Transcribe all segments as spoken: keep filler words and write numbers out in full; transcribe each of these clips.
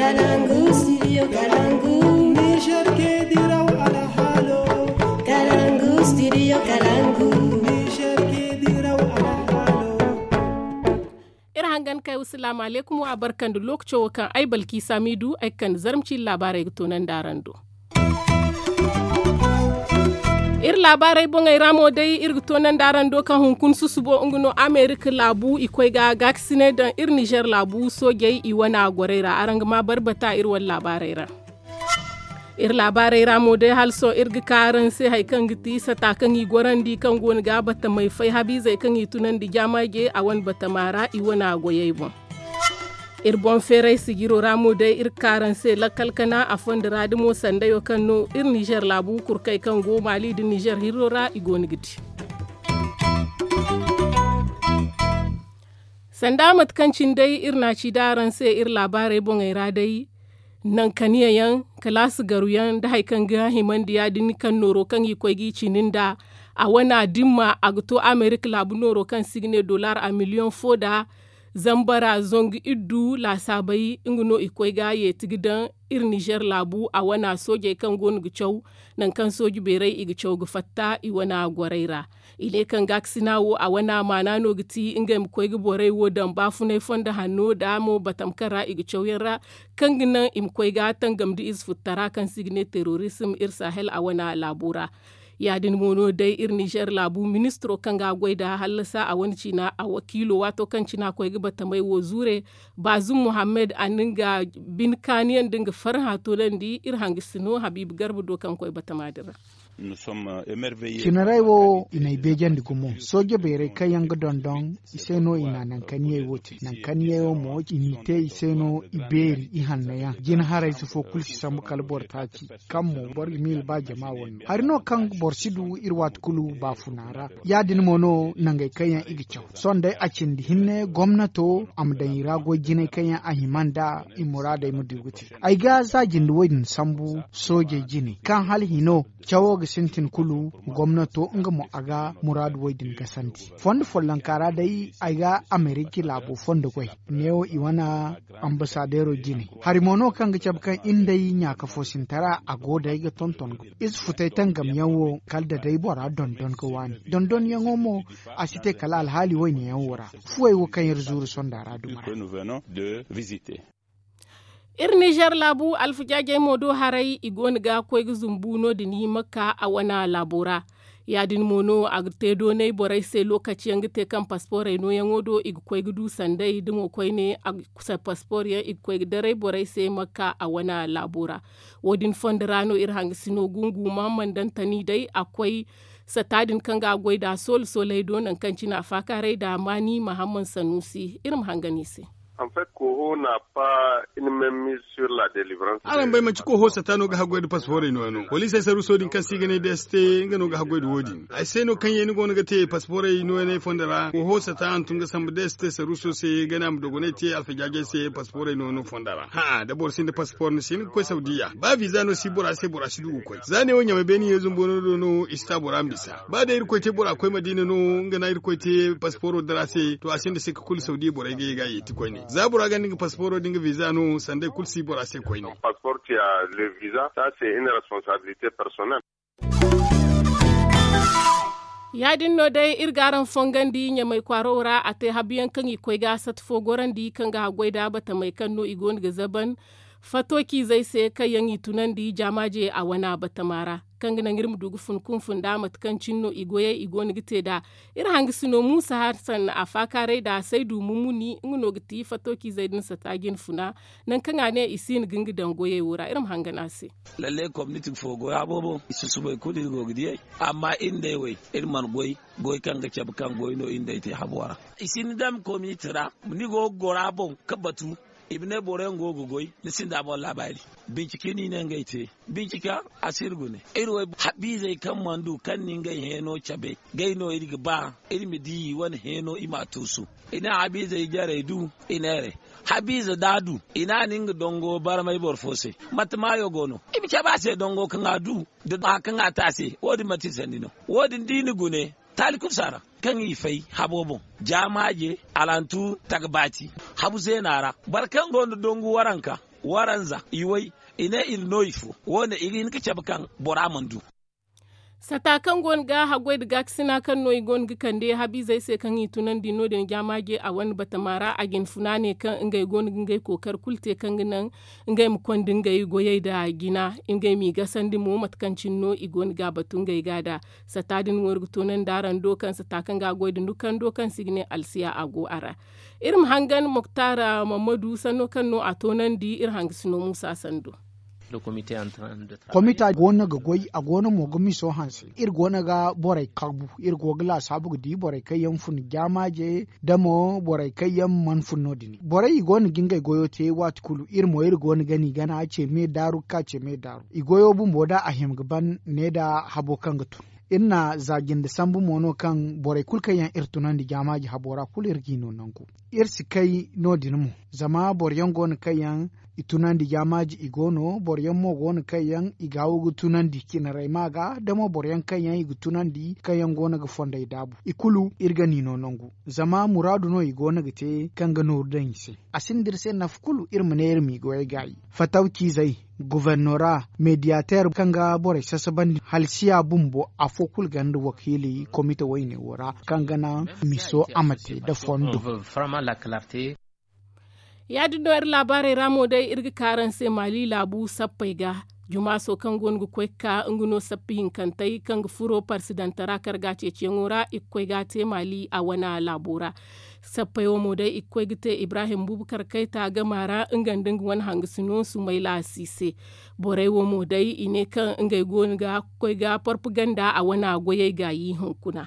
Kalangu, studio Kalangu. Niger ke diraw alhaalo. Kalangu, studio Kalangu. Niger ke diraw alhaalo. Iri hangan kay wa salaamu alaykum wa barka nda lookaco wo kaŋ ay balki saamiidu ay ga kande zarma ciiri laabaarey ga toonandi araŋ do. Iri laabaarey boŋey ra mo day iri ga toonandi araŋ do kaŋ hunkuna susubo nga no amerika laabu i koy ga gaakasinay daŋ iri nizer laabu soojey i wana gorey ra araŋ ga ma barbata iri wane laabaarey ra. Iri laabaarey ra mo day hala sohõ iri ga ka araŋ se hari kaŋ ga ti sata kaŋ i gorandi kaŋ go no ga batamey fay habiizey kaŋ i tunandi jaamaaje a wane batama ra i wana goyey boŋ. Iri boŋ feeray sijiro ra mo day iri ga ka araŋ se lakkal kana a fondo ra damo sandayo kaŋ no iri nizer laabu kurkey kaŋ go maali nda nizer hirro ra i go no ga di. Sanda mate kaŋ cine day iri na a ci da araŋ se iri laabaarey boŋey ra day. Nankaniya yaŋ kalaasi garu yaŋ nda hari kaŋ ga himandi ya- din kaŋ nooro kaŋ i koy ga i cindi nda a wana dimma a ga to amerika laabu nooro kaŋ se i ga ne dollar a miliyoŋ fo nda zambara zangu iddu laasaabey nga no i koy ga yeeti ga daŋ iri nizer laabu a wana soojey kaŋ go no ga caw nangu kaŋ sooji beeray i ga caw ga fatta i wana gorey ra. I ne kaŋ gaakasina wo a wana maana no ga ti ngey ma koy ga borey wo daŋ baafunay fondo hanno nda mo batam kaŋ ra i ga caw yaŋ ra kaŋ ga naŋ i ma koy ga tangam nda ize futtara kaŋ se i ga ne terrorism iri sahel a wana laabo ra. Ya- din mo no day iri nizer laabu ministiro kaŋ ga a goy nda hallasa a wane ciina a wakiilo waato kaŋ cine a koy ga batamey wo zuure. Baazum muhammed a na nga bine kaaniyaŋ nda nga farhã toonandi iri hangasino habiiba garba do kaŋ koy batama din ra. Cinarey wo i n'ay beejandi gumo sooje beerey kaŋ yaŋ ga dondon i se no i na nankaniyey wo te nankaniyey wo mo i n'i te i se no i beeri i hanno yaŋ jina harayze fo kulu si sambu kala boro taaci kaŋ mo boro ga miila ba jama wane no hari no kaŋ boro si du iri waati kulu baafuna ra. Ya- din mo no nangey kaŋ yaŋ i ga caw sohõ day a cindi hinne gomnato a ma daŋ i ra goy jinay kaŋ yaŋ a hima nda i muraadey ma du ga te. Ay ga za jinde wo- din sambu soojey jine kaŋ hala hino cawo ga sintin kulu gomnato nga mo a ga muraadu wo- din gasandi fondo follonka ra day ay ga amerika laabo fondo goy neewo i wane ambasadeero jine hari mo no kaŋ ga cabe kaŋ iri nda ay ɲaaka fo sintara a go day ga tonton ize futay tangam yaŋ wo kala da day bora dondon ga waani dondon yaŋo mo a si te kala alhaali wayne yaŋ wo ra fuwey wo kaŋ iri zuuru sonda ra duma ra. Iri nizer laabu alfajaajey mo do haray i go no ga koy ga zumbu no- din i makka a wana laabo ra. Ya- din mo no a ga te doonay borey se lookaci yaŋ ga te kaŋ pasporey nooyaŋo do i ga koy ga du sanday da mo koyne a ga paspoor yaŋ i ga koy ga daray borey se makka a wana laabo ra. Wo- din fondo ra no iri hangasino gungu mahammad dantani day a koy sata din kaŋ ga a goy nd'a soole sooley do nangu kaŋ cine a faakaaray nd'a maani mahammad sanuusi iri ma hangan i se. Araŋ bay manti kooho sata no ga haggoy nda paspoorey nooya no poliisey saruuso din kaŋ se i ga ne da ya si te nga no ga haggoy nda wo- din ay se no kaŋ yaŋ ni go no ga te paspoorey nooyaney fondo ra kooho sata hantum ga sambu da ya si te saruuso se gana ma dogonay te alfajaajey se paspoorey nooya no fondo ra hã'a da boro sinda paspoor ni si hin ga koy saudiya ba viza no si bora se bora si du ga koy za ne wo ɲamay beene yeezu boro do no i si ta bora ma bisa ba day irkoy te bora koy madiina no nga na irkoy te paspooro dira se to a sinda sikka kulu saudiya borey ga ye ga a yeeti koyne za bora gonda nga paspooro da nga viza no sanday kulu si bora se koyne. Ya- din no day iri ga araŋ fongandi ɲamay kwaaro ra a te habu yaŋ kaŋ i koy ga sata fo gorandi kaŋ ga haggoy nd'a batamey kaŋ no i go no ga zaban fatooci-izey se kaŋ yaŋ i tunandi jaamaaje a wana batama ra kaŋ ga naŋ iri ma du ga fun kunfun nd'a mate kaŋ cine no i goyey i go no ga te nd'a. Iri hangasino muusa hasan a faakaaray nd'a saydu mumuni nga no ga ti fatooci-izey din sata jinfuna nangu kaŋ a ne i si hin ga nga daŋ goyey wo ra iri ma hangan a se. Lalle komniti fo goy a boobo i susubay kulu iri go ga diyey amma iri nd'ey wey iri mana goy goy kaŋ ga cabe kaŋ goy no iri nd'ey te habo ra. I si ni dam komniti ra ni go ga goro a boŋ ga batu i ma ne boro yaŋ go ga goy ni sinda boŋ laabaari. Bincike no i ne ngey te bincika a si iri gune iri wo habiizey kaŋ mana du kaŋ ni ngey heeno cabe ngey no iri ga ba iri ma di i wane heeno i m'a tuusu. I ne habiizey jarey du i neeray habiize da a du i ne a na nga dongo barmay boro fo se mate maayo go no i ma cabe a se dongo kaŋ a du da baa kaŋ a te a se wo- din manti i sanni no wo- din da i na gune taali kulu si a ra kaŋ i fay habo boŋ jaamaaje alantu tagbaati habu zeena ra boro kaŋ go nda dongu waranka Waranza i way, i ne iri no ifo wo- ne i ga hin ga cabe kaŋ bora mana du. Sata kaŋ go no ga haggoy nda gaakasina kaŋ no i go no ga kande habiizey se kaŋ i tunandi no- din jaamaaje a wane batama ra a ga hin funa ne kaŋ ngey go no ga ngey kookari kulu te kaŋ ga naŋ ngey ma konda ngey goyey nda jina, ngey m'i gasandi mo mate kaŋ cine no i go no ga a batu ngey ga nd'a. Sata din wo iri ga toonandi araŋ do kaŋ sata kaŋ ga a goy nda nukando kaŋ se i ga ne alsiya a go a ra. Iri ma hangan moktaara mammadu sanno kaŋ no a toonandi iri hangasino muusa sando. Komita go no ga goy a go no mo ga miso hanse. Iri go no ga borey karbu iri go ga laasaabu ga di borey kaŋ yaŋ fun jaamaaje, da mo borey kaŋ yaŋ mana fun no- din borey i go no ga ngey goyo te waati kulu iri mo iri go no ga ni gana ce me daaru ga ka ce me daaru i goyo bumbo da a hima ga ban ne nda habo kaŋ ga tun. Iri na za jinde sambu mo no kaŋ borey kulu kaŋ yaŋ iri tunandi jaamaaji habo ra kulu iri g'i no nangu. Iri si kay no- din mo zama boro yaŋ go no kaŋ yaŋ i tunandi jaamaaji i go no boro yaŋ mo go no kaŋ yaŋ i gaawo ga tunandi cinarey ma ga da mo boro yaŋ kaŋ yaŋ i ga tunandi kaŋ yaŋ go no ga fondey daabu i kulu iri ga ni no nangu. Zama muraadu no i go no ga te kaŋ ga nooru daŋ i se. A sinda iri se nafa kulu iri ma ne iri m'i goyey gaayi. Fatawciizey, gubernora, mediyateer kaŋ ga borey sasabandi halsiya bumbo afo kulu ganda wakiili komite wayne wo ra kaŋ ga naŋ miso a ma te nda fondo. Ya- din no iri laabaarey ra mo day iri ga ka araŋ se maali laabu sappey ga. Jumaaso kaŋ go no ga koy ga ka nga no sappa hinkantey kaŋ ga furo parsidantara karga ceeciyaŋo ra i ga koy ga a te maali a wane laabo ra. Sappey wo mo day i ga koy ga te ibrahim bubakar kayta gama ra nga nda nga wane hangasino sumayla si se. Borey wo mo day i ne kaŋ ngey go no ga koy ga porpaganda a wane goyey gaayi hunkuna.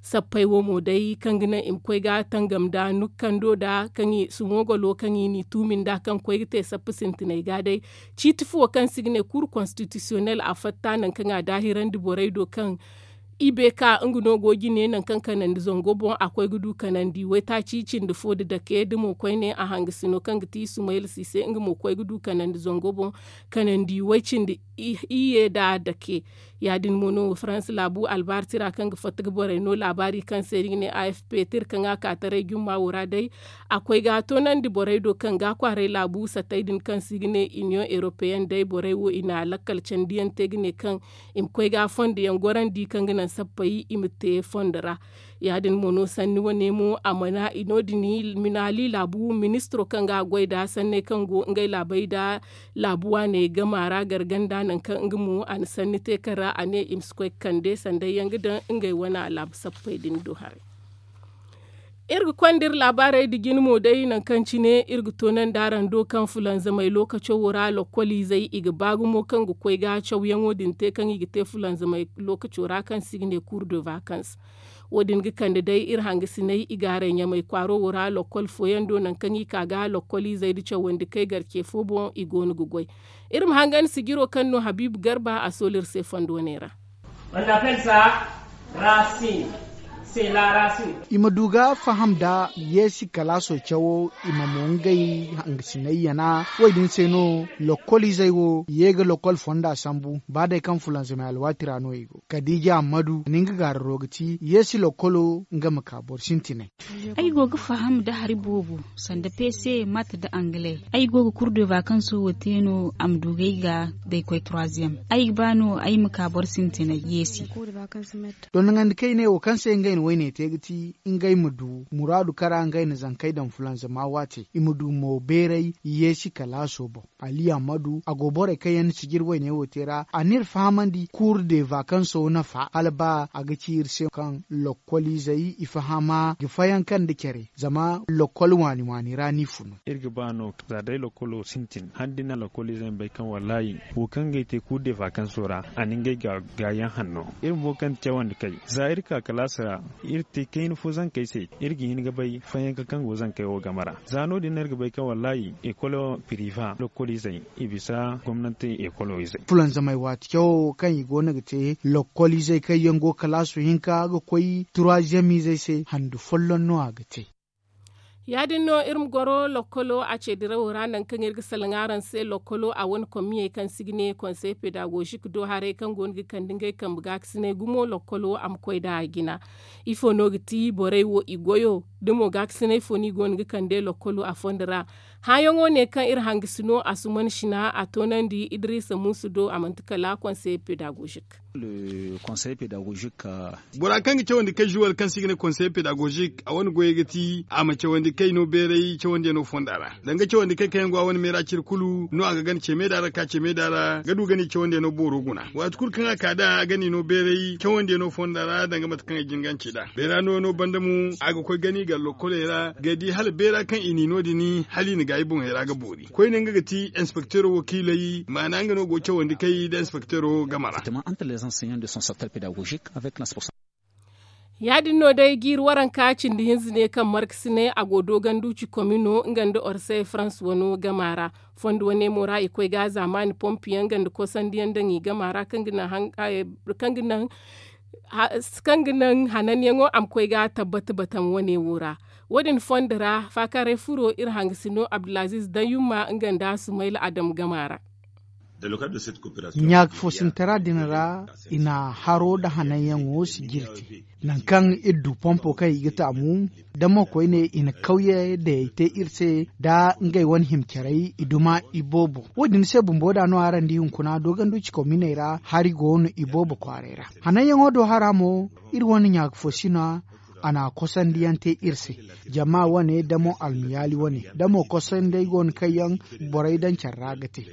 Sappey wo mo day kaŋ ga naŋ i ma koy ga tangam nda nukkando nda kaŋ i sumogolo kaŋ i n'i tuumi nd'a kaŋ koy ga te sappa sintiney ga day. Ciiti fuwo kaŋ se i ga ne kuuru konstitisiyonel a fatta nangu kaŋ a daahirandi borey do kaŋ i beeka nga no go jine nangu kaŋ kanandi zango boŋ a koy ga du kanandi waytaaci cindi fo nda dake da mo koyne a hangasino kaŋ ga ti sumayla si se nga mo koy ga du kanandi zango boŋ kanandi way cindi iyye nda dake. Ya- din mo no faransa laabu albaartira kaŋ ga fatta ga borey no laabaari kaŋ se iri ga ne a f p tir kaŋ a ka taray jumma wo ra day. A koy ga a toonandi borey do kaŋ ga a kwaaray laabu sattey din kaŋ se i ga ne iniyoŋ eropeyen day borey wo i na lakkal candiyaŋ te ga ne kaŋ i ma koy ga a fondo yaŋ gorandi kaŋ ga naŋ sappey i ma te fondo ra. Ya- din mo no sanni wane mo a mana i no- din i ma naali laabu ministiro kaŋ ga a goy nda sanney kaŋ go ngey laabey nda laabu waaney gama ra garganda nangu kaŋ nga mo a na sanni te kaŋ ra a ne i ma si koy ga kande sanday yaŋ ga daŋ ngey wane laabu sappey din do haray. Iri ga konda iri laabaarey nda jine mo day nangu kaŋ cine iri ga toonandi araŋ do kaŋ fulanzamey lookaco wo ra lokkoliizey i ga ba gumo kaŋ ga koy ga cawyaŋo din te kaŋ i ga te fulanzamey lookaco ra kaŋ se i ga ne kuur de vakans. Wo- din ga kande day iri hangasiney i gaaray ɲamay kwaaro wo ra lokkol fooyaŋ do nangu kaŋ i ka ga lokkoliizey nda cawandi kay garce fo boŋ i go no ga goy. Iri ma hangan sijiro kaŋ no habiibu garba a soolu iri se fondo ne ra. I ma du ga faham nda yeesi kalaaso cawo i ma mo ngey hangasiney yana wo- din se no lokkoliizey wo ye ga lokkol fonda sambu ba day kaŋ fulanzamey alwaati ra no i go kadiija ammadu a na nga gaararo ga ti yeesi lokkolo nga ma ka boro sintinay. Ay go ga faham nda hari boobo sanda pese mat nda angle. Ay go ga kurdeva kaŋ sohõ te no a ma du ga ay ga da ay koy troisième ay ga ba no ay ma ka boro sintinay yeesi. Dondoŋandi kaŋ i ne wo kaŋ se ngey na wayne te ga ti ngey ma du muraadu kara ngey na zankey daŋ fulanzama waate i ma du mo beeray yeesi kalaaso boŋ. Ali ammadu a go borey kaŋ yaŋ na sijiri wayne wo te ra a n'iri fahamandi kuuru de vakanso nafa hala ba a ga ci iri se kaŋ lokkoliizey i fahama ga fayanka nda care zama lokkol waani waani ra no i funu. Iri ga ba no za day lokkolo sintin hala da ni na lokkoliizey ma bay kaŋ wallaahi wo kaŋ ga ay te kuuru de vakanso ra a na ngey gaayaŋ hanno. Iri bumbo kaŋ ti cawandi kay za iri ka kalaasi ra iri te kayna fo zankey se iri ga hin ga bay fayanka kaŋ go zankey wo game ra. Za no- din no iri ga bay kaŋ wallaahi ekolo piriva lokkoliizey i bisa gomnanti ekolo izey. Fulanzamey waati cawo kaŋ i go no ga te lokkoliizey kaŋ yaŋ go kalaasu hinka ga koy turaaziyamiizey se handu folloŋ no a ga te. Ya- din no iri ma goro lokkolo a ce dirawo ra nangu kaŋ iri ga salaŋ araŋ se lokkolo a wane komiyey kaŋ se i ga ne konsey pedagozik do haray kaŋ go no ga kande ngey kambe gaakasinay gumo lokkolo a ma koy nd'a a jina. Ifo no ga ti borey wo i goyo da mo gaakasinay fo no i go no ga kande lokkolo a fondo ra? Hããyaŋo ne kaŋ iri hangasino a suman sina a toonandi idrisa muusu do a manti kala konseye pedagozik. Bora kaŋ ga cawandi kay zuwal kaŋ se i ga ne konseye pedagozik a wane goyey ga ti a ma cawandi kay no beeray cawandiyaŋo fonda ra. Danga cawandi kay kaŋ yaŋ go a wane meera cire kulu no a ga gana ce meeda ra ka ce meeda ra ga du gana i cawandiyaŋo booro guna waati kulu kaŋ a ka nd'a a gana i no beeray cawandiyaŋo fonda ra danga mate kaŋ ay jin ga a ce nd'a. Beera nooyaŋo banda mo a ga koy gana i gar lokoley ra ga di hala beera kaŋ i n'i no- din hala i na gaayi boŋey ra ga boori koyne nga ga ti inspekteero wakiiley maana nga no go cawandi kay nda inspekteero game ra. Ya- din no day jiiri waranka cindi hinza ne kaŋ markasinay a go dooganduci komino nga nda orsay farans wano gama ra. Fondo wane mo ra i koy ga zaamaani pompiyaŋ nga nda kosandiyaŋ daŋ i gama ra kaŋ ga naŋ hananyaŋo a ma koy ga tabbata batam wane wo ra. Wo- din fondo ra faakaaray furo iri hangasino abdulaziiz dayumma nga nda sumayla adam gama ra. Ɲaaka foosintara din ra i na haro nda hananyaŋo si jirte. Nangu kaŋ iri du pompo kaŋ i ga taamu da mo koyne i na kawye dayey te iri se nda ngey wane hima caray i duma iboobo. Wo- din se bumbo da no araŋ di hunkuna dooganduci kominey ra hari go no iboobo kwaaray ra. Hananyaŋo do hara mo iri wane ɲaaka foosina a na kosandi yaŋ te iri se. Jama wane da mo almiyaali wane da mo kosandey go no kaŋ yaŋ borey daŋ care ra ga te.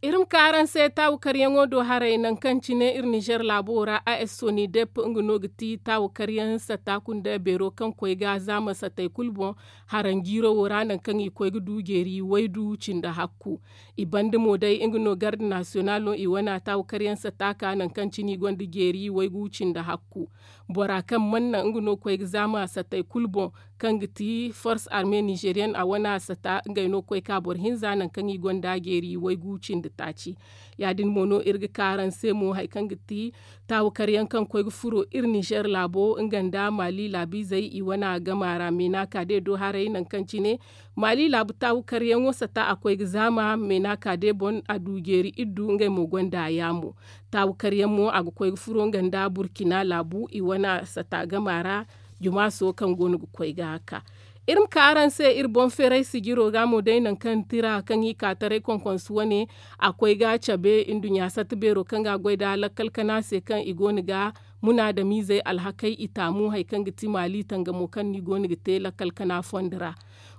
Iri ma ka araŋ se taawu karyaŋo do haray nangu kaŋ cine iri nizer laabo ra a s soni depp nga no ga ti taawu karyaŋ satta kunda beero kaŋ koy ga zaama sattey kulu boŋ. Haranjiiro wo ra nangu kaŋ i koy ga du jeeri waydu cindi hakku. I banda mo day nga no garde nasiyonalo i wane taawu karyaŋ satta ka nangu kaŋ cine i gonda jeeri waygu cindi hakku. Bora kaŋ mana naŋ nga no koy ga zaama sattey kulu boŋ kaŋ ga ti force arme nizeriyen a wane sata ngey no koy ka boro hinza nangu kaŋ i gonda jeeri waygu cindi taaci. Ya- din mo no iri ga ka araŋ se mo hari kaŋ ga ti taawu karyaŋ kaŋ koy ga furo iri nizer laabo nga nda maali laabiizey i wane gama ra meena ka day do haray nangu kaŋ cine maali laabu taawu karyaŋo sata a koy ga zaama meena ka day boŋ a du jeeri iddu ngey mo gonda yaamo. Taawu karyaŋ mo a ga koy ga furo nga nda burkina laabu i wane sata gama ra. Jumaaso kaŋ go no ga koy ga ka iri ma ka araŋ se iri boŋ feeray sijiro ga mo day nangu kaŋ tira kaŋ i ka taray konkonsu wane a koy ga cabe nduɲɲa satta beero kaŋ ga a goy nda lakkal kana se kaŋ i go no ga munaadamiizey alhakey i taamu hari kaŋ ga ti maali tangamo kaŋ no i go no ga te lakkal kana fondo ra.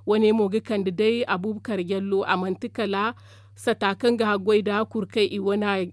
Wane mo ga kande day abuubakar jallo a manti kala sata kaŋ ga haggoy nda kurkey i wane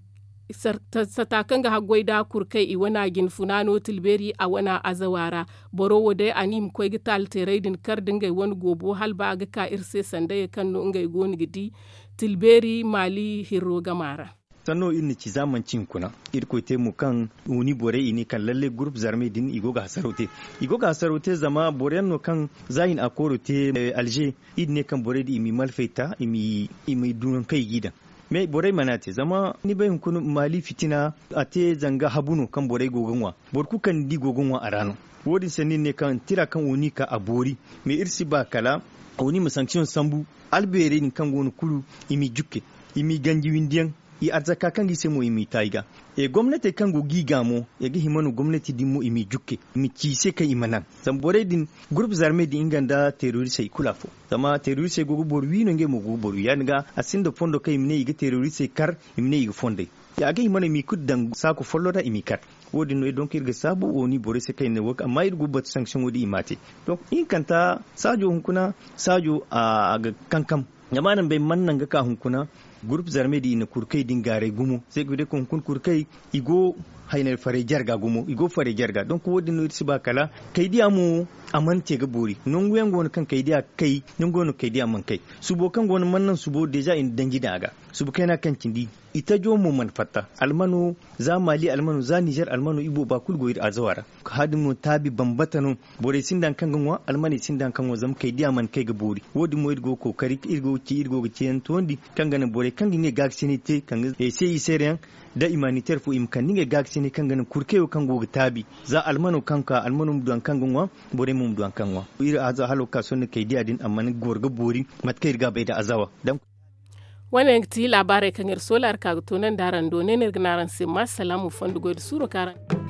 sata kaŋ ga haggoy nda kurkey i wane jinfuna no tilbeeri a wane azawa ra. Boro wo day a ne i ma koy ga taali teeray din kar nda ngey wane goobo hala ba a ga ka iri se sandayey kaŋ no ngey go no ga di tilbeeri maali hirro gama ra. Sanno iri na ci za manci hunkuna iri koy te mo kaŋ wuni borey i ne kaŋ lalle gurup zarmey din i go ga hasaro te. I go ga hasaro te zama boro yaŋ no kaŋ za i na akooro te alze iri ne kaŋ borey din i m'i malfey ta i m'i du nangu kaŋ i g'i daŋ. Me borey mana te zama ni bay hunkuna maali fitina a te zanga habu no kaŋ borey go ga ŋwa. Boro kulu kaŋ ni di go ga ŋwa a ra no. Wo- din se no iri ne kaŋ tira kaŋ oni ka a boori. Me iri si ba kala oni ma sanksiyoŋ sambu albeerey din kaŋ go no kulu i m'i jukke i m'i ganji windi yaŋ i arzaka kaŋ ga i se mo i m'i ta i ga. Gomnatey kaŋ go ga i ga mo i ga hima no gomnati din mo i m'i jukke i ma ci i se kaŋ i ma naŋ. Zama borey din gurup zarmey din nga nda terorisey i kulu afo. Zama terorisey go ga boro wi no ngey mo go ga boro wi ya- din ga a sinda fondo kaŋ i ma ne i ga terorisey kar i ma ne i ga fondey. A ga hima no i m'i kulu daŋ saako follo ra i m'i kar. Wo- din no donk iri ga saabu wo ni borey se kaŋ i ne wo amma iri go ga batu sanksiyoŋo din i m'a te. Donk ihinkanta saajo hunkuna saajo a ga kankam. Zama araŋ bay mana naŋ ga ka hunkuna gurup zarmey din i na kurkey din gaaray gumo se ga day kaŋ hunkuna kurkey i go haynay farey jarga gumo i go farey jarga donk wo- din no iri si ba kala kaydiya mo a mana te ga boori nangu yaŋ go no kaŋ kaydiya ga kay nangu yaŋ no kaydiya mana kay. Subo kaŋ go no mana naŋ subo deeza i na danji daŋ a ga. Subu kayna kaŋ cindi i tajo mo mana fatta almano za mali almano za nizer almano i booba kulu go iri azawa ra. Hadin mo taabi bambata no. Borey sinda hari kaŋ ga ŋwa almaney sinda hari kaŋ ŋwa zama kay diya mana kay ga boori. Wo- din mo iri go ga kookari iri go ga ci iri go ga ciyaŋ toondi kaŋ ga naŋ borey kaŋ ga ngey gaakasinay te kaŋ ga se i seere yaŋ da imaniter fo i ma kande ngey gaakasinay kaŋ ga naŋ kurkayo kaŋ go ga taabi za almano kaŋ ka almano ma du hari kaŋ ga ŋwa. Borey mo ma du hari kaŋ ŋwa iri aza halo ga ka sohõ kay diya din amma ni ga goro ga boori. Mate kaŋ iri ga a bay nda azawa. Wane yaŋ ga ti laabaarey kaŋ iri soola iri ka ga toonandi araŋ do ne no iri ga ne araŋ se ma salaamu fondo goy nda suuro kaŋ araŋ